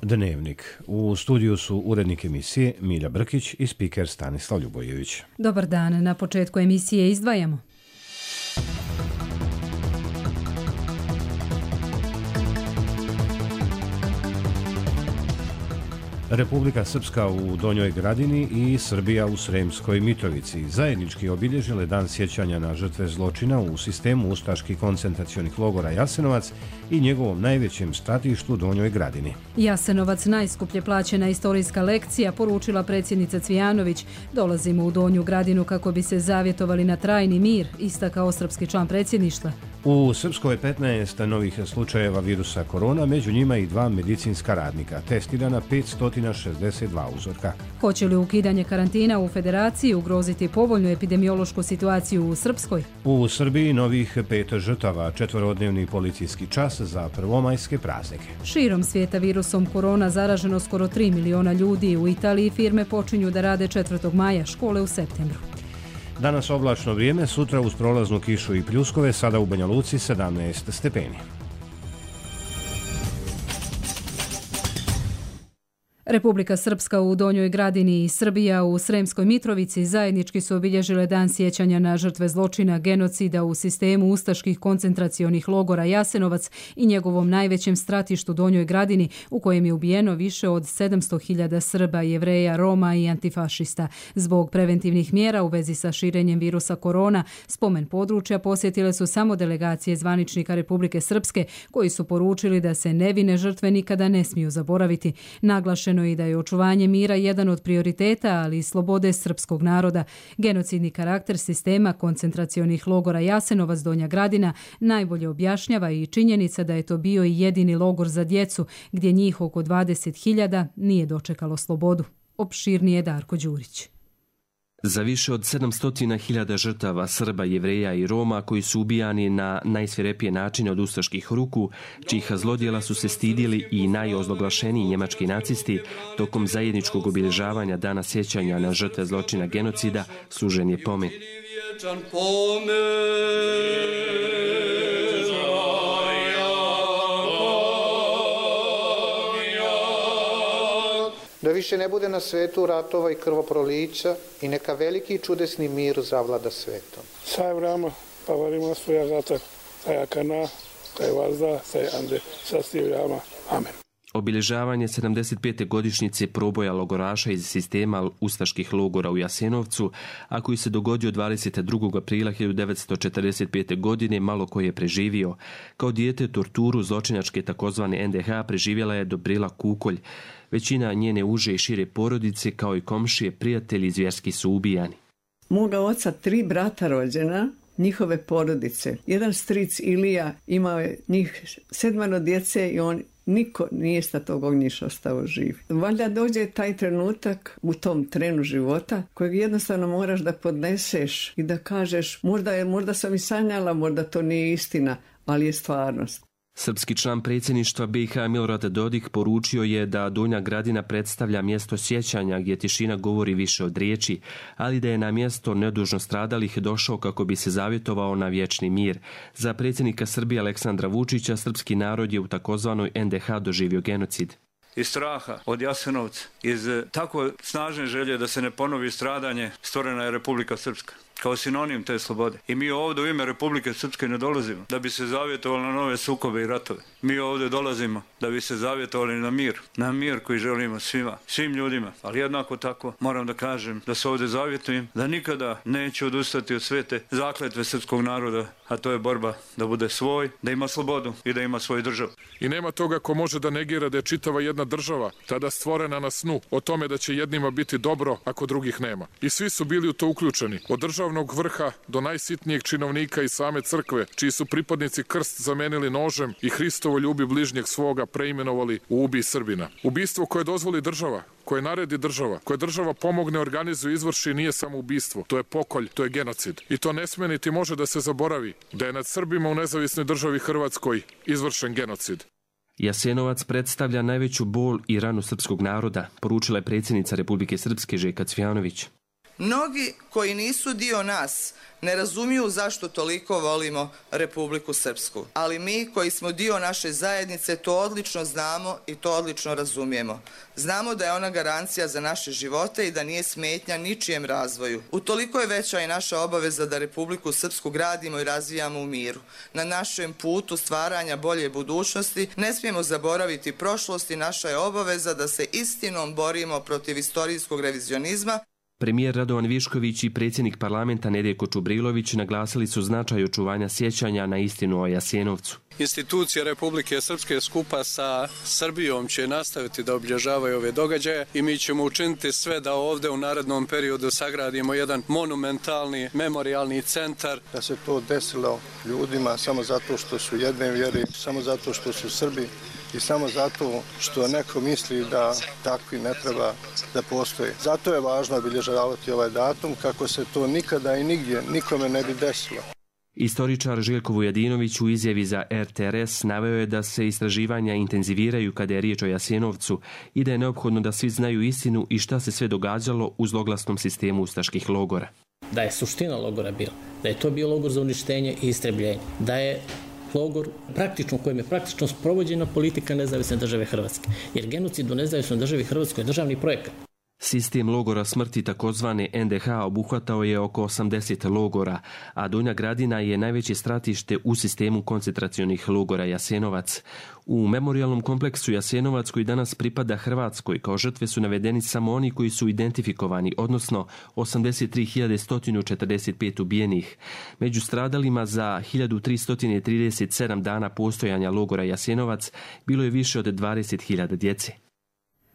Dnevnik. U studiju su urednik emisije Milja Brkić i spiker Stanislav Ljubojević. Dobar dan. Na početku emisije izdvajamo. Republika Srpska u Donjoj Gradini i Srbija u Sremskoj Mitrovici zajednički obilježile dan sjećanja na žrtve zločina u sistemu ustaških koncentracionih logora Jasenovac i njegovom najvećem stratištu Donjoj Gradini. Jasenovac, najskuplje plaćena istorijska lekcija, poručila predsjednica Cvijanović. Dolazimo u Donju Gradinu kako bi se zavjetovali na trajni mir, istakao srpski član predsjedništva. U Srpskoj je 15 novih slučajeva virusa korona, među njima i 2 medicinska radnika. Testirana 562 uzorka. Hoće li ukidanje karantina u Federaciji ugroziti povoljnu epidemiološku situaciju u Srpskoj? U Srbiji novih 5 žrtava, 4-dnevni policijski čas za prvomajske praznike. Širom svijeta virusom korona zaraženo skoro 3 miliona ljudi. U Italiji firme počinju da rade 4. maja, škole u septembru. Danas oblačno vrijeme, sutra uz prolaznu kišu i pljuskove, sada u Banja Luci 17 stepeni. Republika Srpska u Donjoj Gradini i Srbija u Sremskoj Mitrovici zajednički su obilježile dan sjećanja na žrtve zločina genocida u sistemu ustaških koncentracionih logora Jasenovac i njegovom najvećem stratištu Donjoj Gradini, u kojem je ubijeno više od 700.000 Srba, Jevreja, Roma i antifašista. Zbog preventivnih mjera u vezi sa širenjem virusa korona, spomen područja posjetile su samo delegacije zvaničnika Republike Srpske, koji su poručili da se nevine žrtve nikada ne smiju zaboraviti. Naglašeno i da je očuvanje mira jedan od prioriteta, ali i slobode srpskog naroda. Genocidni karakter sistema koncentracionih logora Jasenovac Donja Gradina najbolje objašnjava i činjenica da je to bio i jedini logor za djecu, gdje njih oko 20.000 nije dočekalo slobodu. Opširnije Darko Đurić. Za više od 700.000 žrtava Srba, Jevreja i Roma koji su ubijani na najsvirepije načine od ustaških ruku, čijih zlodjela su se stidjeli i najozloglašeniji njemački nacisti, tokom zajedničkog obilježavanja dana sjećanja na žrtve zločina genocida služen je pomen. Da više ne bude na svetu ratova i krvoprolića i neka veliki i čudesni mir zavlada svetom. Sai vrama, pavarima svoja gata, sai akana, sai vazda, sai ande, sasti vrama. Amen. Obilježavanje 75. godišnjice proboja logoraša iz sistema ustaških logora u Jasenovcu, a koji se dogodio 22. aprila 1945. godine, malo ko je preživio. Kao dijete torturu zločinačke takozvane NDH preživjela je Dobrila Kukolj. Većina njene uže i šire porodice, kao i komšije, prijatelji zvjerski su ubijani. Moga oca 3 brata rođena, njihove porodice. Jedan stric Ilija imao je njih 7 djece i niko nije sa tog ognjiša ostao živ. Valjda dođe taj trenutak u tom trenu života kojeg jednostavno moraš da podneseš i da kažeš možda sam i sanjala, možda to nije istina, ali je stvarnost. Srpski član predsjedništva BiH Milorad Dodik poručio je da Donja Gradina predstavlja mjesto sjećanja gdje tišina govori više od riječi, ali da je na mjesto nedužno stradalih došao kako bi se zavjetovao na vječni mir. Za predsjednika Srbije Aleksandra Vučića srpski narod je u takozvanoj NDH doživio genocid. Iz straha od Jasenovca, iz tako snažne želje da se ne ponovi stradanje, stvorena je Republika Srpska kao sinonim te slobode. I mi ovdje u ime Republike Srpske ne dolazimo da bi se zavjetovali na nove sukobe i ratove. Mi ovdje dolazimo da bi se zavjetovali na mir koji želimo svim ljudima. Ali jednako tako moram da kažem da se ovdje zavjetujem da nikada neću odustati od svete zakletve srpskog naroda, a to je borba da bude svoj, da ima slobodu i da ima svoju državu. I nema toga ko može da negira da je čitava jedna država tada stvorena na snu o tome da će jednima biti dobro ako drugih nema. I svi su bili u to uključeni, od državnog vrha do najsitnijeg činovnika i same crkve, čiji su pripadnici krst zamenili nožem i Hristovo ljubi bližnjeg svoga preimenovali u ubij Srbina. Ubistvo koje dozvoli država, koje naredi država, koje država pomogne, organizuje, izvrši, nije samo ubistvo. To je pokolj, to je genocid. I to ne sme niti može da se zaboravi da je nad Srbima u nezavisnoj državi Hrvatskoj izvršen genocid. Jasenovac predstavlja najveću bol i ranu srpskog naroda, poručila je predsjednica Republike Srpske Željka Cvijanović. Mnogi koji nisu dio nas ne razumiju zašto toliko volimo Republiku Srpsku, ali mi koji smo dio naše zajednice to odlično znamo i to odlično razumijemo. Znamo da je ona garancija za naše živote i da nije smetnja ničijem razvoju. Utoliko je veća i naša obaveza da Republiku Srpsku gradimo i razvijamo u miru. Na našem putu stvaranja bolje budućnosti ne smijemo zaboraviti prošlost i naša je obaveza da se istinom borimo protiv istorijskog revizionizma. Premijer Radovan Višković i predsjednik parlamenta Nedjeljko Čubrilović naglasili su značaj očuvanja sjećanja na istinu o Jasenovcu. Institucije Republike Srpske skupa sa Srbijom će nastaviti da obilježavaju ove događaje i mi ćemo učiniti sve da ovdje u narednom periodu sagradimo jedan monumentalni memorijalni centar. Da se to desilo ljudima samo zato što su jedne vjere, samo zato što su Srbi i samo zato što neko misli da takvi ne treba da postoje. Zato je važno obilježavati ovaj datum kako se to nikada i nigdje nikome ne bi desilo. Istoričar Željko Vujadinović u izjavi za RTRS naveo je da se istraživanja intenziviraju kada je riječ o Jasenovcu i da je neophodno da svi znaju istinu i šta se sve događalo u zloglasnom sistemu ustaških logora. Da je suština logora bila, da je to bio logor za uništenje i istrebljenje, da je logor u kojem je praktično sprovođena politika nezavisne države Hrvatske, jer genocid u nezavisnoj državi Hrvatskoj je državni projekat. Sistem logora smrti takozvane NDH obuhvatao je oko 80 logora, a Donja Gradina je najveće stratište u sistemu koncentracionih logora Jasenovac. U memorijalnom kompleksu Jasenovac, koji danas pripada Hrvatskoj, kao žrtve su navedeni samo oni koji su identifikovani, odnosno 83.145 ubijenih. Među stradalima za 1337 dana postojanja logora Jasenovac bilo je više od 20.000 djece.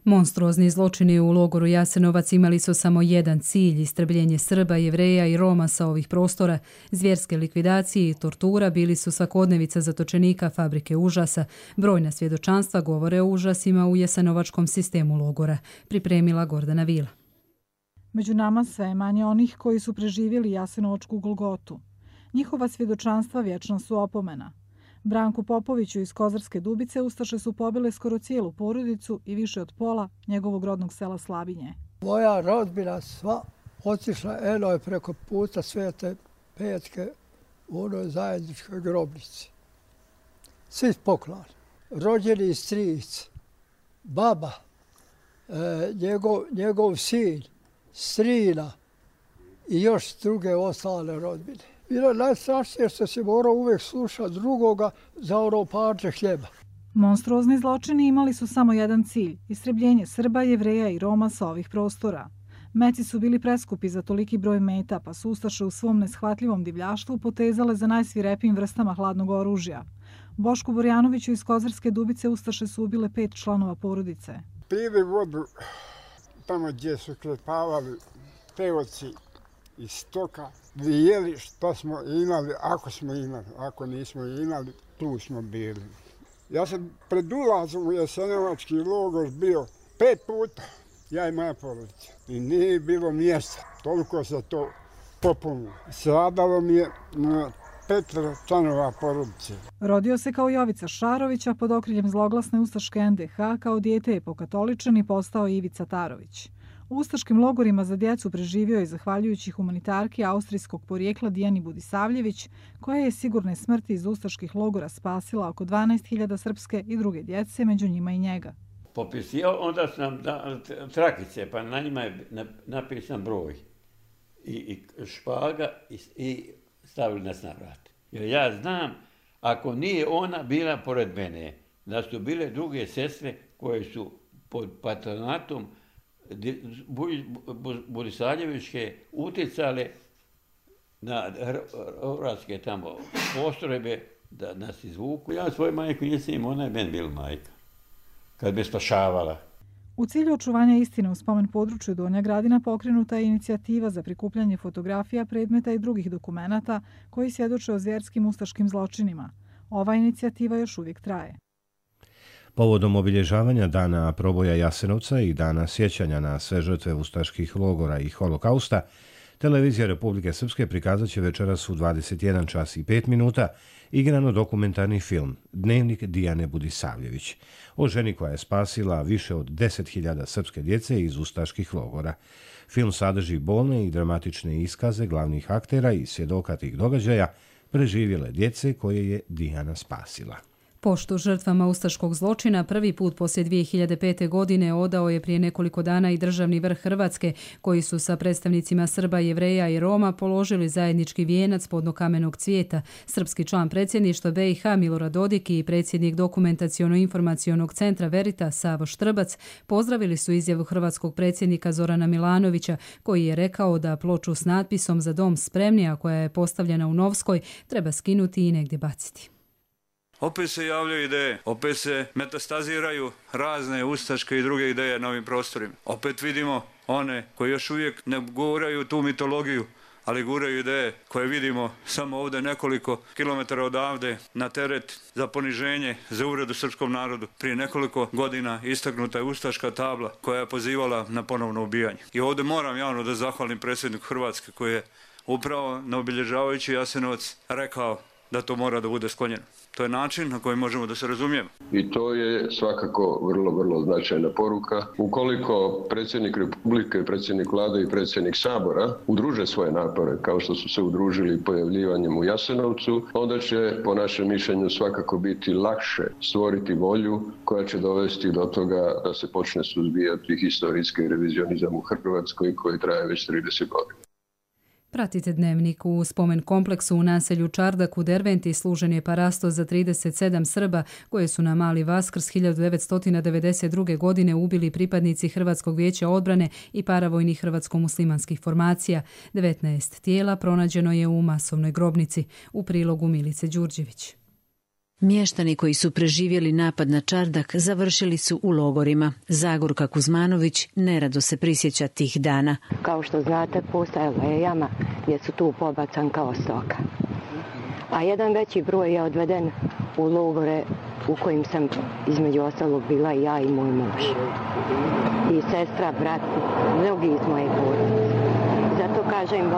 Monstruozni zločini u logoru Jasenovac imali su samo jedan cilj, istrebljenje Srba, Jevreja i Roma sa ovih prostora. Zvjerske likvidacije i tortura bili su svakodnevica zatočenika fabrike užasa. Brojna svjedočanstva govore o užasima u jasenovačkom sistemu logora. Pripremila Gordana Vila. Među nama sve je manje onih koji su preživjeli jasenovačku Golgotu. Njihova svjedočanstva vječna su opomena. Branku Popoviću iz Kozarske Dubice ustaše su pobile skoro cijelu porodicu i više od pola njegovog rodnog sela Slabinje. Moja rodbina sva otišla je preko puta Svete Petke u onoj zajedničkoj grobnici. Svi poklani. Rođeni stric, baba, njegov sin, strina i još druge ostale rodbine. Bilo najstrašnije što se morao uvijek slušati drugoga za ono parče hljeba. Monstruozni zločini imali su samo jedan cilj, istrebljenje Srba, Jevreja i Roma sa ovih prostora. Meci su bili preskupi za toliki broj meta, pa su ustaše u svom neshvatljivom divljaštvu potezale za najsvirepijim vrstama hladnog oružja. Bošku Borjanoviću iz Kozarske Dubice ustaše su ubile 5 članova porodice. Pili vodu tamo gdje su klepavali peoci iz stoka, jeli što smo imali, ako smo imali, ako nismo imali, tu smo bili. Ja sam pred ulazom u jasenovački logor bio 5 puta, ja i moja porodica. I nije bilo mjesta, toliko se to popunilo. Stradalo mi je 5 članova porodice. Rodio se kao Jovica Šarovića pod okriljem zloglasne ustaške NDH, kao dijete je pokatoličan i postao Ivica Tarović. U ustaškim logorima za djecu preživio je zahvaljujući humanitarki austrijskog porijekla Dijani Budisavljević, koja je sigurne smrti iz ustaških logora spasila oko 12.000 srpske i druge djece, među njima i njega. Popisio, onda sam trakice, pa na njima je napisan broj i špaga i stavili nas na vrat. Jer ja znam, ako nije ona bila pored mene, da su bile druge sestre koje su pod patronatom Budisavljevićke utjecale na hrvatske tamo postrojbe da nas izvuku. Ja svoju majku nisam imao, ona je meni bila majka, kad me spašavala. U cilju očuvanja istine u spomen području Donja Gradina pokrenuta je inicijativa za prikupljanje fotografija, predmeta i drugih dokumenata koji svjedoče o zvjerskim ustaškim zločinima. Ova inicijativa još uvijek traje. Povodom obilježavanja dana proboja Jasenovca i dana sjećanja na sve žrtve ustaških logora i holokausta, Televizija Republike Srpske prikazat će večeras u 21 čas i 5 minuta igrano-dokumentarni film Dnevnik Dijane Budisavljević o ženi koja je spasila više od 10.000 srpske djece iz ustaških logora. Film sadrži bolne i dramatične iskaze glavnih aktera i svjedoka tih događaja, preživjele djece koje je Dijana spasila. Poštu žrtvama ustaškog zločina prvi put poslije 2005. godine odao je prije nekoliko dana i državni vrh Hrvatske, koji su sa predstavnicima Srba, Jevreja i Roma položili zajednički vijenac podno kamenog cvijeta. Srpski član predsjedništva BiH Milorad Dodik i predsjednik Dokumentaciono-informacionog centra Verita Savo Štrbac pozdravili su izjavu hrvatskog predsjednika Zorana Milanovića, koji je rekao da ploču s natpisom Za dom spremni, a koja je postavljena u Novskoj, treba skinuti i negdje baciti. Opet se javljaju ideje, opet se metastaziraju razne ustaške i druge ideje na ovim prostorima. Opet vidimo one koji još uvijek ne guraju tu mitologiju, ali guraju ideje koje vidimo samo ovdje nekoliko kilometara odavde na teret za poniženje, za uvredu srpskom narodu. Prije nekoliko godina istaknuta je ustaška tabla koja je pozivala na ponovno ubijanje. I ovdje moram javno da zahvalim predsjedniku Hrvatske koji je upravo na obilježavajući Jasenovac rekao da to mora da bude sklonjeno. To je način na koji možemo da se razumijemo. I to je svakako vrlo značajna poruka. Ukoliko predsjednik Republike, predsjednik Vlade i predsjednik Sabora udruže svoje napore, kao što su se udružili pojavljivanjem u Jasenovcu, onda će, po našem mišljenju, svakako biti lakše stvoriti volju koja će dovesti do toga da se počne suzbijati historijski revizionizam u Hrvatskoj koji traje već 30 godina. Pratite Dnevnik. U spomen kompleksu u naselju Čardak u Derventi služen je parasto za 37 Srba koje su na Mali Vaskrs 1992. godine ubili pripadnici Hrvatskog vijeća odbrane i paravojnih hrvatsko-muslimanskih formacija. 19 tijela pronađeno je u masovnoj grobnici. U prilogu Milice Đurđević. Mještani koji su preživjeli napad na Čardak završili su u logorima. Zagorka Kuzmanović nerado se prisjeća tih dana. Kao što znate, postojala je jama gdje su tu pobacan kao stoka. A jedan veći broj je odveden u logore u kojim sam između ostalog bila i ja i moj muž. I sestra, brat, mnogi iz moje porodice. Zato kažem,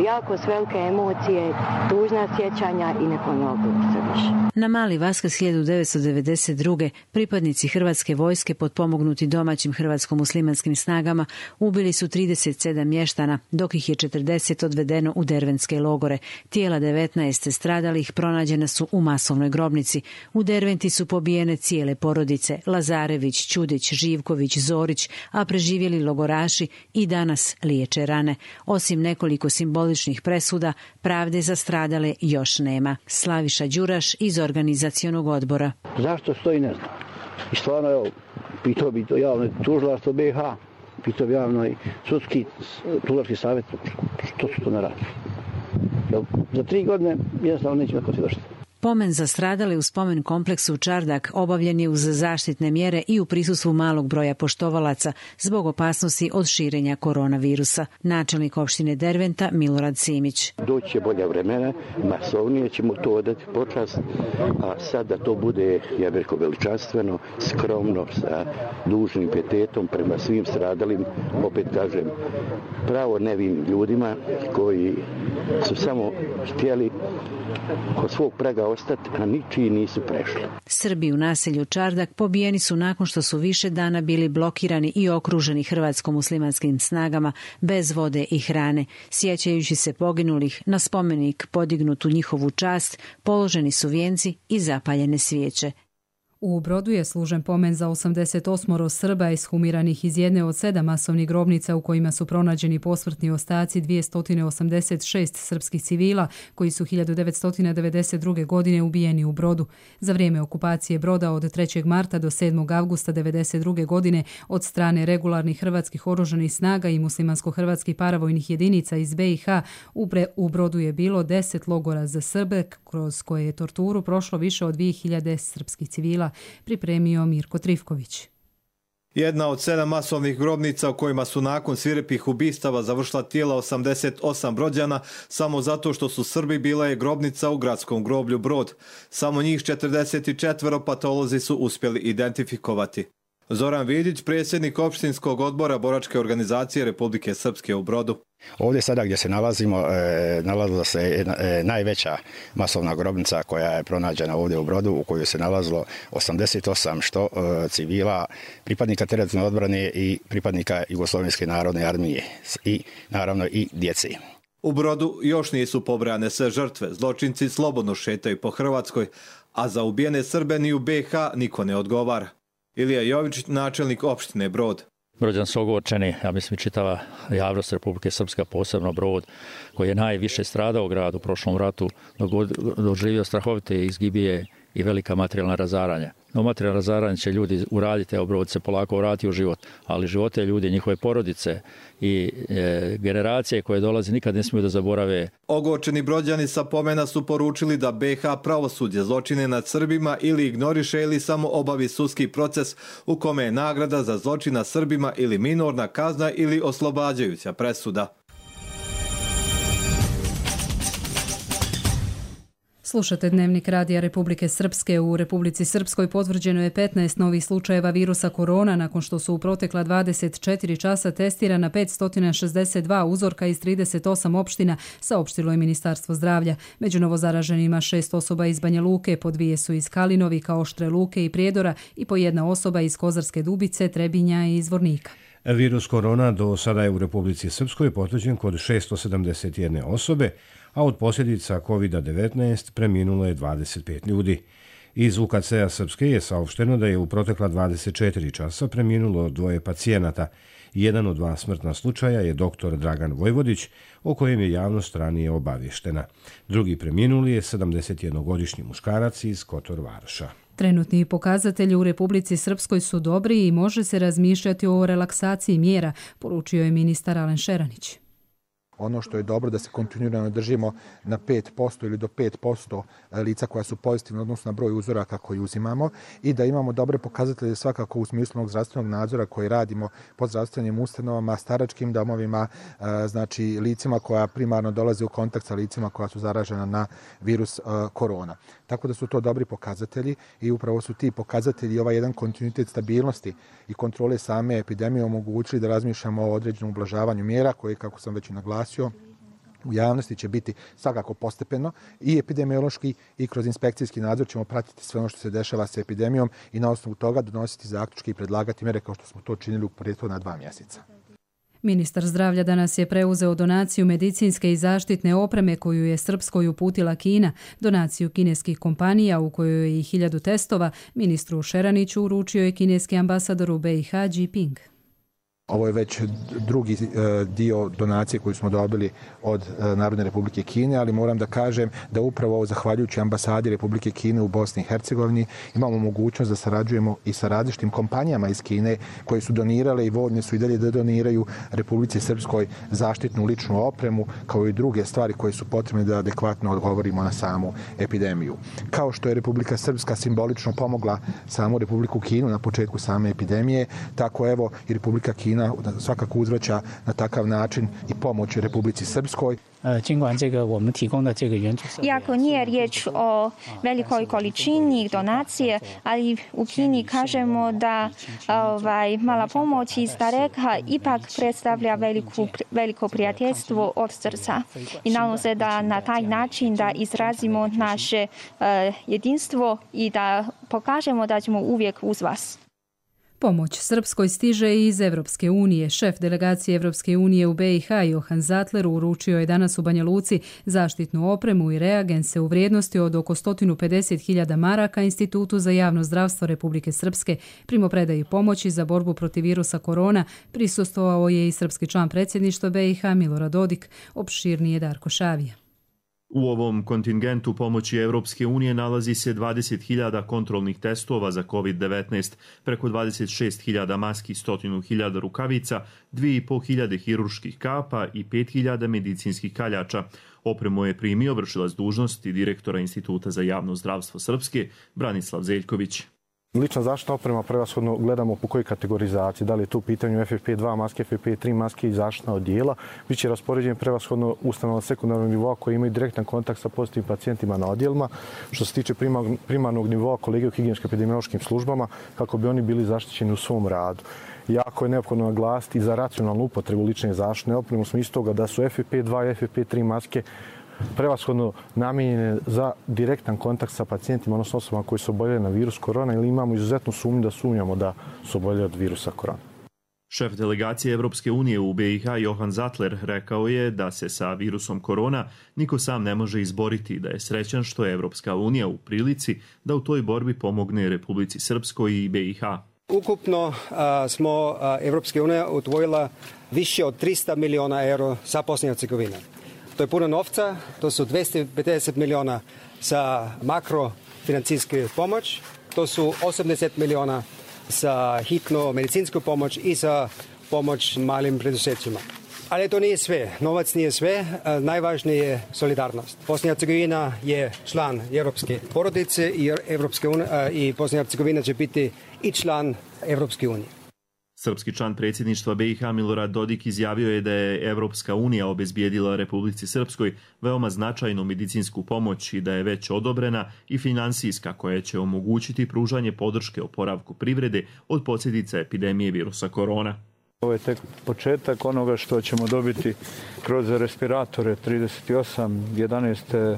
jako s velike emocije, tužna sjećanja i ne ponovilo se više. Na Mali Vaskrs 1992. pripadnici Hrvatske vojske potpomognuti domaćim hrvatsko-muslimanskim snagama ubili su 37 mještana, dok ih je 40 odvedeno u derventske logore. Tijela 19 stradalih pronađena su u masovnoj grobnici. U Derventi su pobijene cijele porodice Lazarević, Čudić, Živković, Zorić, a preživjeli logoraši i danas liječe rane. Osim nekoliko simboličnih presuda, pravde za stradale još nema. Slaviša Đuraš iz organizacionog odbora. Zašto stoji, ne znam. I stvarno, evo, pitao bi to javno tužilaštvo BiH, pitao bi javno i sudski tužilački savjet, što su to ne radi. Za 3 godine jednostavno neće neko svjedočiti. Pomen za stradale u spomen kompleksu Čardak obavljen je uz zaštitne mjere i u prisustvu malog broja poštovalaca zbog opasnosti od širenja koronavirusa. Načelnik opštine Derventa Milorad Simić. Doći će bolja vremena, masovnije ćemo to odati počast, a sad da to bude, ja bih rekao, veličanstveno, skromno, sa dužnim pietetom prema svim stradalim, opet kažem, pravo nevim ljudima koji su samo htjeli od svog praga ostati, a ničiji nisu prešli. Srbi u naselju Čardak pobijeni su nakon što su više dana bili blokirani i okruženi hrvatsko-muslimanskim snagama bez vode i hrane. Sjećajući se poginulih, na spomenik podignut u njihovu čast položeni su vijenci i zapaljene svijeće. U Brodu je služen pomen za 88 Srba ishumiranih iz jedne od 7 masovnih grobnica u kojima su pronađeni posmrtni ostaci 286 srpskih civila koji su 1992. godine ubijeni u Brodu. Za vrijeme okupacije Broda od 3. marta do 7. avgusta 1992. godine od strane regularnih hrvatskih oružanih snaga i muslimansko-hrvatskih paravojnih jedinica iz BiH u Brodu je bilo 10 logora za Srbe kroz koje je torturu prošlo više od 2000 srpskih civila, pripremio Mirko Trifković. Jedna od 7 masovnih grobnica u kojima su nakon svirepih ubistava završila tijela 88 Brođana samo zato što su Srbi bila je grobnica u gradskom groblju Brod. Samo njih 44 patolozi su uspjeli identifikovati. Zoran Vidić, predsjednik opštinskog odbora Boračke organizacije Republike Srpske u Brodu. Ovdje sada gdje se nalazimo, nalazila se najveća masovna grobnica koja je pronađena ovdje u Brodu, u kojoj se nalazilo 88 što civila, pripadnika teritorijalne odbrane i pripadnika Jugoslovenske narodne armije i naravno i djece. U Brodu još nisu pobrojane sve žrtve, zločinci slobodno šetaju po Hrvatskoj, a za ubijene Srbe ni u BiH niko ne odgovara. Ilija Jovičić, načelnik opštine Brod. Brođani su ogorčeni, ja mislim čitava javnost Republike Srpska, posebno Brod, koji je najviše stradao grad u prošlom ratu, doživio strahovite izgibije i velika materijalna razaranja. No materijalna razaranja će ljudi uraditi, evo Brod se polako vrati u život, ali živote ljudi, njihove porodice i generacije koje dolaze nikad ne smiju da zaborave. Ogorčeni Brođani sa pomena su poručili da BiH pravosuđe zločine nad Srbima ili ignoriše ili samo obavi sudski proces u kome je nagrada za zločin nad Srbima ili minorna kazna ili oslobađajuća presuda. Slušate Dnevnik Radija Republike Srpske. U Republici Srpskoj potvrđeno je 15 novih slučajeva virusa korona nakon što su u protekla 24 časa testirana 562 uzorka iz 38 opština, saopštilo je Ministarstvo zdravlja. Među novozaraženima 6 osoba iz Banja Luke, po 2 su iz Kalinovika, Oštre Luke i Prijedora i po 1 osoba iz Kozarske Dubice, Trebinja i Zvornika. Virus korona do sada je u Republici Srpskoj potvrđen kod 671 osobe, a od posljedica COVID-19 preminulo je 25 ljudi. Iz UKC-a Srpske je saopšteno da je u protekla 24 časa preminulo 2 pacijenata. Jedan od 2 smrtna slučaja je dr. Dragan Vojvodić, o kojem je javnost ranije obavještena. Drugi preminuli je 71-godišnji muškarac iz Kotor Varoša. Trenutni pokazatelji u Republici Srpskoj su dobri i može se razmišljati o relaksaciji mjera, poručio je ministar Alen Šeranić. Ono što je dobro da se kontinuirano držimo na 5% ili do 5% lica koja su pozitivna odnosno na broj uzoraka koji uzimamo i da imamo dobre pokazatelje svakako u smislu zdravstvenog nadzora koji radimo pod zdravstvenim ustanovama, staračkim domovima, znači licima koja primarno dolaze u kontakt sa licima koja su zaražena na virus korona. Tako da su to dobri pokazatelji i upravo su ti pokazatelji ovaj jedan kontinuitet stabilnosti i kontrole same epidemije omogućili da razmišljamo o određenom ublažavanju mjera koje, kako sam već i naglasio, u javnosti će biti svakako postepeno i epidemiološki i kroz inspekcijski nadzor ćemo pratiti sve ono što se dešava sa epidemijom i na osnovu toga donositi zaključke i predlagati mjere kao što smo to činili u prethodna 2 mjeseca. Ministar zdravlja danas je preuzeo donaciju medicinske i zaštitne opreme koju je Srpskoj uputila Kina, donaciju kineskih kompanija u kojoj je i 1000 testova. Ministru Šeraniću uručio je kineski ambasador u BiH Jinping. Ovo je već drugi dio donacije koju smo dobili od Narodne Republike Kine, ali moram da kažem da upravo zahvaljujući ambasadi Republike Kine u Bosni i Hercegovini imamo mogućnost da sarađujemo i sa različitim kompanijama iz Kine koje su donirale i voljne su i dalje da doniraju Republici Srpskoj zaštitnu ličnu opremu kao i druge stvari koje su potrebne da adekvatno odgovorimo na samu epidemiju. Kao što je Republika Srpska simbolično pomogla samu Republiku Kinu na početku same epidemije, tako evo i Republika Kina svakako uzvraća na takav način i pomoć Republici Srpskoj. Iako nije riječ o velikoj količini donacije, ali u Kini kažemo da mala pomoć iz daleka ipak predstavlja veliko prijateljstvo od srca. I nadam se da na taj način da izrazimo naše jedinstvo i da pokažemo da ćemo uvijek uz vas. Pomoć Srpskoj stiže i iz Evropske unije. Šef delegacije Evropske unije u BiH Johan Zatler uručio je danas u Banja Luci zaštitnu opremu i reagense u vrijednosti od oko 150.000 maraka Institutu za javno zdravstvo Republike Srpske. Primopredaji pomoći za borbu protiv virusa korona prisustvovao je i srpski član predsjedništva BiH Milorad Dodik, opširnije Darko Šavija. U ovom kontingentu pomoći Evropske unije nalazi se 20.000 kontrolnih testova za COVID-19, preko 26.000 maski, 100.000 rukavica, 2.500 hirurških kapa i 5.000 medicinskih kaljača. Opremu je primio vršilac dužnosti direktora Instituta za javno zdravstvo Srpske, Branislav Zeljković. Lična zaštitna oprema prevashodno gledamo po kojoj kategorizaciji, da li je tu u pitanju FFP2 maske, FFP3 maske i zaštitna odijela. Biće raspoređen prevashodno ustanova sekundarnog nivoa koji imaju direktan kontakt sa pozitivnim pacijentima na odjelima. Što se tiče primarnog nivoa kolege u higijensко-epidemiološkim službama, kako bi oni bili zaštićeni u svom radu. Jako je neophodno naglasiti za racionalnu upotrebu lične zaštitne opreme u smislu toga da su FFP2 i FFP3 maske prevashodno namijenjene za direktan kontakt sa pacijentima, odnosno osobama koji su oboljeli na virus korona ili imamo izuzetnu sumnju da sumnjamo da su oboljeli od virusa korona. Šef delegacije Evropske unije u BiH Johan Zatler rekao je da se sa virusom korona niko sam ne može izboriti i da je srećan što je Evropska unija u prilici da u toj borbi pomogne Republici Srpskoj i BiH. Ukupno smo Evropska unija odvojila više od 300 miliona euro za Bosnu i Hercegovinu. To je puno novca, to su 250 miliona za makrofinancijsku pomoć, to su 80 miliona za hitnu medicinsku pomoć i za pomoć malim preduzećima. Ali to nije sve, novac nije sve, najvažnije je solidarnost. Bosna i Hercegovina je član Europske porodice i Bosna i Hercegovina će biti i član Europske unije. Srpski član predsjedništva BiH Milorad Dodik izjavio je da je Evropska unija obezbijedila Republici Srpskoj veoma značajnu medicinsku pomoć i da je već odobrena i finansijska koja će omogućiti pružanje podrške oporavku privrede od posljedica epidemije virusa korona. Ovo je tek početak onoga što ćemo dobiti kroz respiratore 38, 11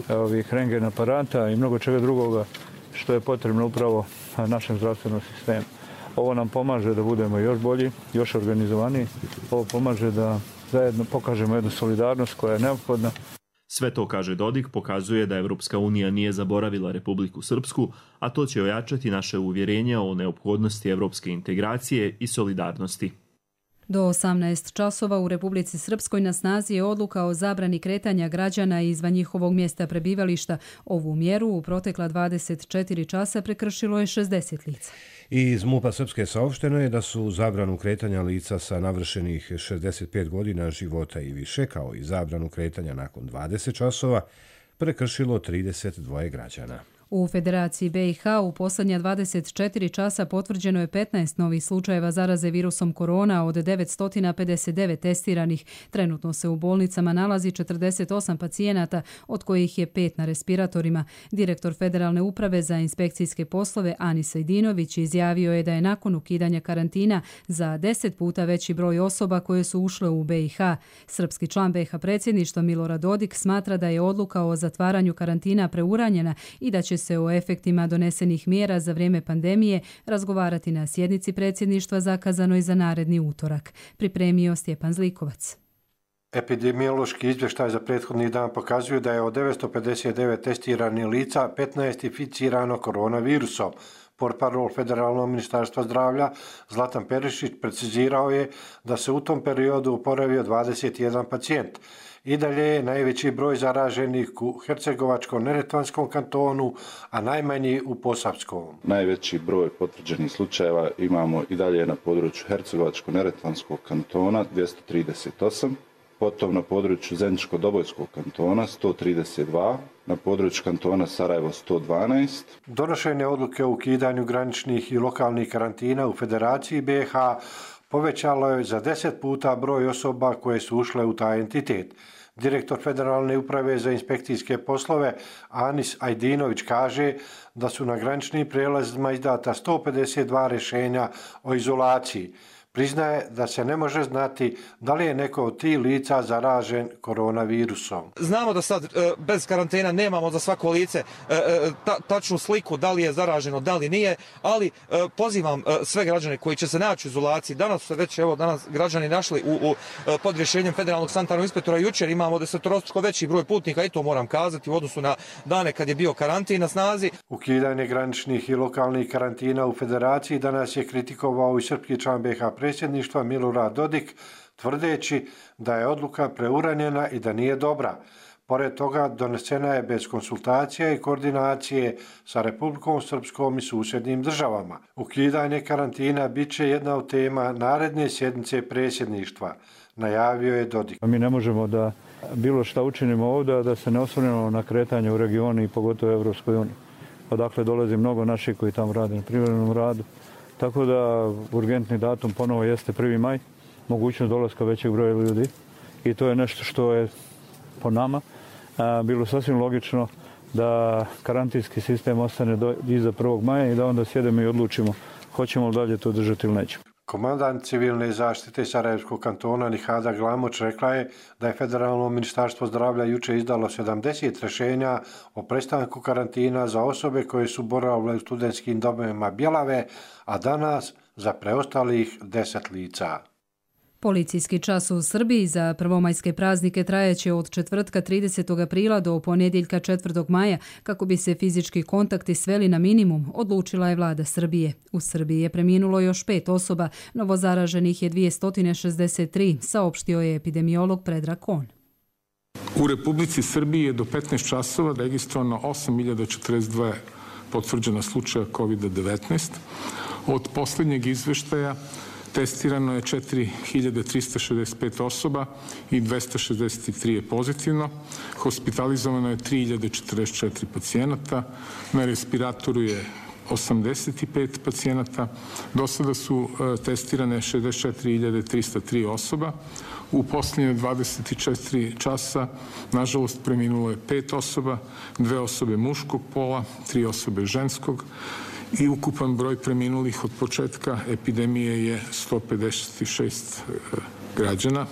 ovih rentgen aparata i mnogo čega drugoga što je potrebno upravo našem zdravstvenom sistemu. Ovo nam pomaže da budemo još bolji, još organizovaniji. Ovo pomaže da zajedno pokažemo jednu solidarnost koja je neophodna. Sve to, kaže Dodik, pokazuje da Evropska unija nije zaboravila Republiku Srpsku, a to će ojačati naše uvjerenje o neophodnosti evropske integracije i solidarnosti. Do 18 časova u Republici Srpskoj na snazi je odluka o zabrani kretanja građana izvan njihovog mjesta prebivališta. Ovu mjeru u protekla 24 časa prekršilo je 60 lica. I iz MUP-a Srpske saopšteno je da su zabranu kretanja lica sa navršenih 65 godina života i više, kao i zabranu kretanja nakon 20 časova, prekršilo 32 građana. U Federaciji BiH u posljednja 24 časa potvrđeno je 15 novih slučajeva zaraze virusom korona od 959 testiranih. Trenutno se u bolnicama nalazi 48 pacijenata, od kojih je 5 na respiratorima. Direktor Federalne uprave za inspekcijske poslove Anis Ajdinović izjavio je da je nakon ukidanja karantina za 10 puta veći broj osoba koje su ušle u BiH. Srpski član BiH predsjedništva Milorad Dodik smatra da je odluka o zatvaranju karantina preuranjena i da će se o efektima donesenih mjera za vrijeme pandemije razgovarati na sjednici predsjedništva zakazanoj za naredni utorak. Pripremio Stjepan Zlikovac. Epidemiološki izvještaj za prethodni dan pokazuje da je od 959 testiranih lica 15 inficirano koronavirusom. Portparol Federalnog ministarstva zdravlja Zlatan Perišić precizirao je da se u tom periodu oporavio 21 pacijent. I dalje je najveći broj zaraženih u Hercegovačko-neretvanskom kantonu, a najmanji u Posavskom. Najveći broj potvrđenih slučajeva imamo i dalje na području Hercegovačko-neretvanskog kantona 238, potom na području Zeničko-Dobojskog kantona 132, na području kantona Sarajevo 112. Donošenje odluke o ukidanju graničnih i lokalnih karantina u Federaciji BiH povećalo je za 10 puta broj osoba koje su ušle u taj entitet. Direktor Federalne uprave za inspekcijske poslove Anis Ajdinović kaže da su na graničnim prijelazima izdata 152 rješenja o izolaciji. Priznaje da se ne može znati da li je neko od tih lica zaražen koronavirusom. Znamo da sad bez karantena nemamo za svako lice tačnu sliku da li je zaraženo, da li nije, ali pozivam sve građane koji će se naći u izolaciji. Danas su se već građani našli pod rješenjem federalnog sanitarnog inspektora. Jučer imamo desetorostruko veći broj putnika i to moram kazati u odnosu na dane kad je bio karantin na snazi. Ukidanje graničnih i lokalnih karantina u Federaciji danas je kritikovao i srpski član BiH predsjedništva Milorad Dodik, tvrdeći da je odluka preuranjena i da nije dobra. Pored toga, donesena je bez konsultacija i koordinacije sa Republikom Srpskom i susjednim državama. Ukidanje karantina bit će jedna od tema naredne sjednice predsjedništva, najavio je Dodik. Mi ne možemo da bilo šta učinimo ovdje, da se ne osvrnemo na kretanje u regionu i pogotovo u Evropskoj uniji. odakle dolazi mnogo naših koji tamo rade na privremenom radu. Tako da urgentni datum ponovo jeste 1. maj, mogućnost dolaska većeg broja ljudi i to je nešto što je po nama bilo sasvim logično da karantinski sistem ostane iza 1. maja i da onda sjedemo i odlučimo hoćemo li dalje to držati ili nećemo. Komandant civilne zaštite Sarajevskog kantona Nihada Glamoč rekla je da je Federalno ministarstvo zdravlja juče izdalo 70 rješenja o prestanku karantina za osobe koje su boravile u studentskim domovima Bjelave, a danas za preostalih 10 lica. Policijski čas u Srbiji za prvomajske praznike trajeće od četvrtka 30. aprila do ponedjeljka 4. maja kako bi se fizički kontakti sveli na minimum, odlučila je vlada Srbije. U Srbiji je preminulo još 5 osoba, novozaraženih je 263, saopštio je epidemiolog Predrag Kon. U Republici Srbiji je do 15 časova registrovano 8.042 potvrđena slučaja COVID-19. Od posljednjeg izveštaja testirano je 4.365 osoba i 263 je pozitivno. Hospitalizovano je 3.044 pacijenata. Na respiratoru je 85 pacijenata. Do sada su testirane 64.303 osoba. U posljednje 24 časa, nažalost, preminulo je 5 osoba, 2 osobe muškog pola, 3 osobe ženskog. I ukupan broj preminulih od početka epidemije je 156 građana.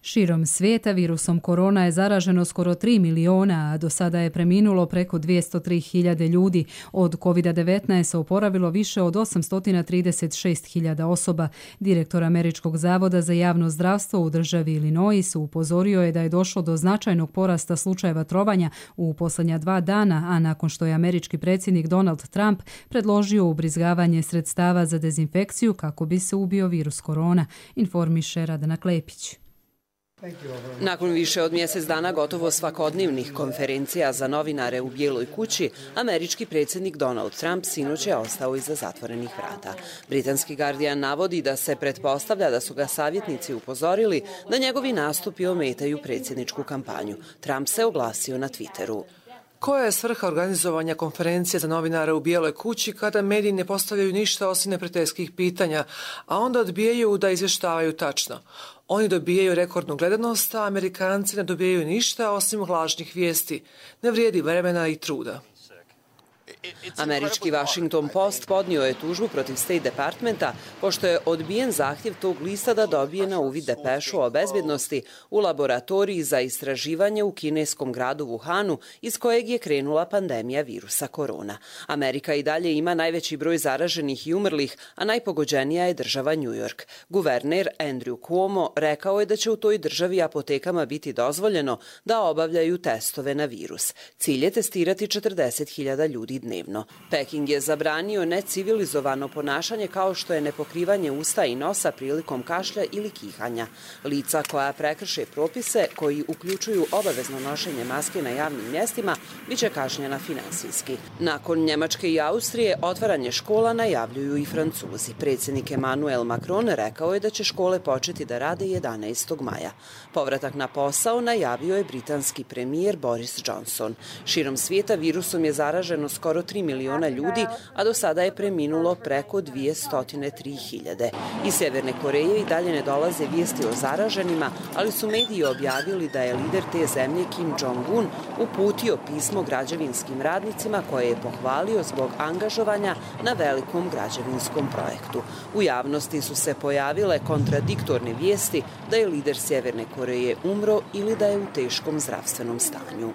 Širom svijeta virusom korona je zaraženo skoro 3 miliona, a do sada je preminulo preko 203.000 ljudi. Od COVID-19 se oporavilo više od 836.000 osoba. Direktor Američkog zavoda za javno zdravstvo u državi Illinois upozorio je da je došlo do značajnog porasta slučajeva trovanja u posljednja 2 dana, a nakon što je američki predsjednik Donald Trump predložio ubrizgavanje sredstava za dezinfekciju kako bi se ubio virus korona, informiše Radana Klepić. Nakon više od mjesec dana gotovo svakodnevnih konferencija za novinare u Bijeloj kući, američki predsjednik Donald Trump sinoć je ostao iza zatvorenih vrata. Britanski Guardian navodi da se pretpostavlja da su ga savjetnici upozorili da njegovi nastupi ometaju predsjedničku kampanju. Trump se oglasio na Twitteru. Koja je svrha organizovanja konferencije za novinare u Bijeloj kući kada mediji ne postavljaju ništa osim neprijateljskih pitanja, a onda odbijaju da izvještavaju tačno? Oni dobijaju rekordnu gledanost, a Amerikanci ne dobijaju ništa osim lažnih vijesti. Ne vrijedi vremena i truda. Američki Washington Post podnio je tužbu protiv State Departmenta pošto je odbijen zahtjev tog lista da dobije na uvid depešu o bezbjednosti u laboratoriji za istraživanje u kineskom gradu Wuhanu iz kojeg je krenula pandemija virusa korona. Amerika i dalje ima najveći broj zaraženih i umrlih, a najpogođenija je država New York. Guverner Andrew Cuomo rekao je da će u toj državi apotekama biti dozvoljeno da obavljaju testove na virus. Cilj je testirati 40.000 ljudi dnevno. Peking je zabranio necivilizovano ponašanje kao što je nepokrivanje usta i nosa prilikom kašlja ili kihanja. Lica koja prekrše propise koji uključuju obavezno nošenje maske na javnim mjestima biće kažnjena finansijski. Nakon Njemačke i Austrije otvaranje škola najavljuju i Francuzi. Predsjednik Emmanuel Macron rekao je da će škole početi da rade 11. maja. Povratak na posao najavio je britanski premijer Boris Johnson. Širom svijeta virusom je zaraženo skoro 3 miliona ljudi, a do sada je preminulo preko 203.000. Iz Sjeverne Koreje i dalje ne dolaze vijesti o zaraženima, ali su mediji objavili da je lider te zemlje Kim Jong-un uputio pismo građevinskim radnicima koje je pohvalio zbog angažovanja na velikom građevinskom projektu. U javnosti su se pojavile kontradiktorne vijesti da je lider Sjeverne Koreje umro ili da je u teškom zdravstvenom stanju.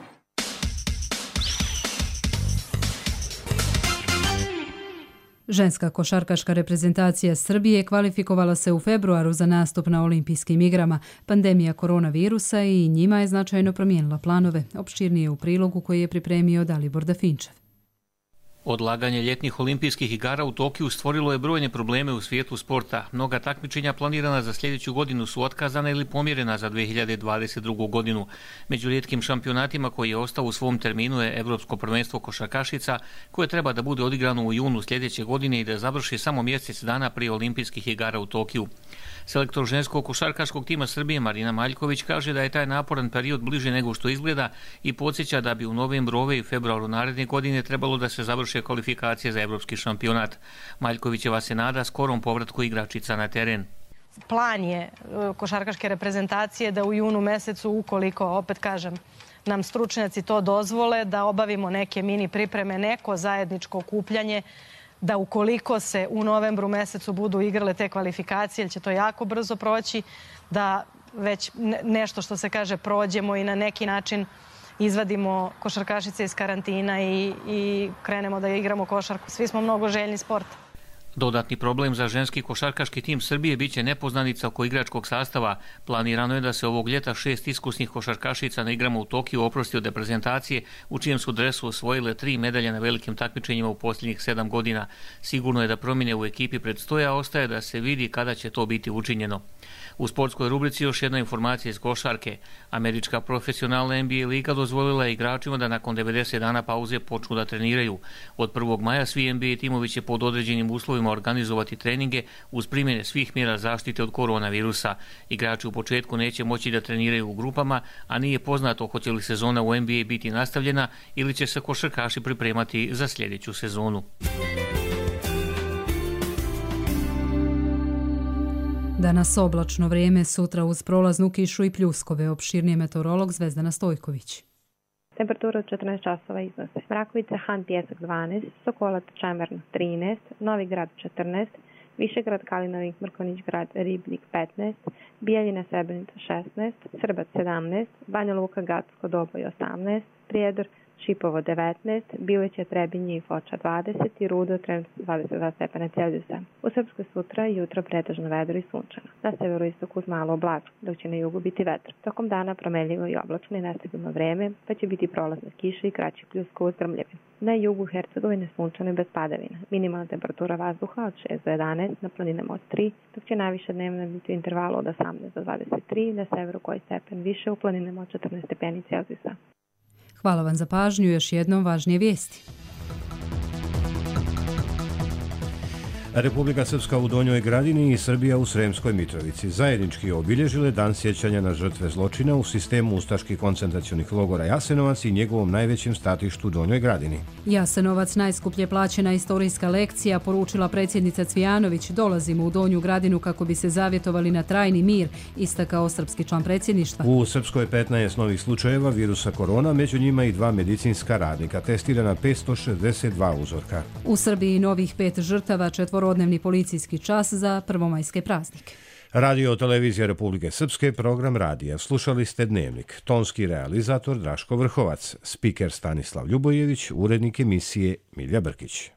Ženska košarkaška reprezentacija Srbije kvalifikovala se u februaru za nastup na olimpijskim igrama. Pandemija koronavirusa i njima je značajno promijenila planove. Opširnije u prilogu koji je pripremio Dalibor Dafinčev. Odlaganje ljetnih olimpijskih igara u Tokiju stvorilo je brojne probleme u svijetu sporta. Mnoga takmičenja planirana za sljedeću godinu su otkazana ili pomjerena za 2022. godinu. Među rijetkim šampionatima koji je ostao u svom terminu je Evropsko prvenstvo košarkašica, koje treba da bude odigrano u junu sljedeće godine i da završi samo mjesec dana prije olimpijskih igara u Tokiju. Selektor ženskog košarkaškog tima Srbije Marina Maljković kaže da je taj naporan period bliže nego što izgleda i podsjeća da bi u novembru i februaru naredne godine trebalo da se završe kvalifikacije za evropski šampionat. Maljkovićeva se nada skorom povratku igračica na teren. Plan je košarkaške reprezentacije da u junu mesecu, ukoliko, opet kažem, nam stručnjaci to dozvole, da obavimo neke mini pripreme, neko zajedničko okupljanje, da ukoliko se u novembru mesecu budu igrale te kvalifikacije, jer će to jako brzo proći, da već nešto što se kaže prođemo i na neki način izvadimo košarkašice iz karantina i krenemo da igramo košarku. Svi smo mnogo željni sporta. Dodatni problem za ženski košarkaški tim Srbije biće nepoznanica oko igračkog sastava. Planirano je da se ovog ljeta 6 iskusnih košarkašica na igrama u Tokiju oprosti od reprezentacije, u čijem su dresu osvojile 3 medalje na velikim takmičenjima u posljednjih 7 godina. Sigurno je da promjene u ekipi predstoje, a ostaje da se vidi kada će to biti učinjeno. U sportskoj rubrici još jedna informacija iz košarke. Američka profesionalna NBA liga dozvolila je igračima da nakon 90 dana pauze počnu da treniraju. Od 1. maja svi NBA timovi će pod određenim uslovima organizovati treninge uz primjene svih mjera zaštite od koronavirusa. Igrači u početku neće moći da treniraju u grupama, a nije poznato hoće li sezona u NBA biti nastavljena ili će se košarkaši pripremati za sljedeću sezonu. Danas oblačno vrijeme, sutra uz prolaznu kišu i pljuskove. Opširnije meteorolog Zvezdana Stojković. Temperatura od 14 časova iznose. Mrakovica, Han, Pjesak 12, Sokolac, Čemerno 13, Novi Grad 14, Višegrad, Kalinovik, Mrkonjić Grad, Ribnik 15, Bijeljina, Srebrenica 16, Srbac 17, Banja Luka, Gacko, Doboj 18, Prijedor, Šipovo 19, Bileća, Trebinje i Foča 20 i Rudo trenutno 22 stepena Celzijusa. U Srpskoj sutra i jutro pretežno vedro i sunčano. Na severoistoku uz malo oblačno, dok će na jugu biti vetar. Tokom dana promenljivo i oblačno i nestabilno vreme, pa će biti prolazna kiša i kraći pljuskova uz grmljavine. Na jugu Hercegovine sunčano i bez padavina. Minimalna temperatura vazduha od 6 do 11, na planinama od 3, dok će najviše dnevna biti u intervalu od 18 do 23, na severu koji stepen više, u planinama od 14 stepeni Celzijusa. Hvala vam za pažnju, još jednom važnije vijesti. Republika Srpska u Donjoj Gradini i Srbija u Sremskoj Mitrovici zajednički obilježile dan sjećanja na žrtve zločina u sistemu ustaških koncentracionih logora Jasenovac i njegovom najvećem statištu u Donjoj Gradini. Jasenovac, najskuplje plaćena istorijska lekcija, poručila predsjednica Cvijanović. Dolazimo u Donju Gradinu kako bi se zavjetovali na trajni mir, istakao srpski član predsjedništva. U Srpskoj 15 novih slučajeva virusa korona, među njima i 2 medicinska radnika, testirana 562 uzorka. U Srbiji novih 5 žrtava, 4-dnevni policijski čas za prvomajske praznike. Radio televizija Republike Srpske, program radija. Slušali ste Dnevnik. Tonski realizator Draško Vrhovac, spiker Stanislav Ljubojević, urednik emisije Milja Brkić.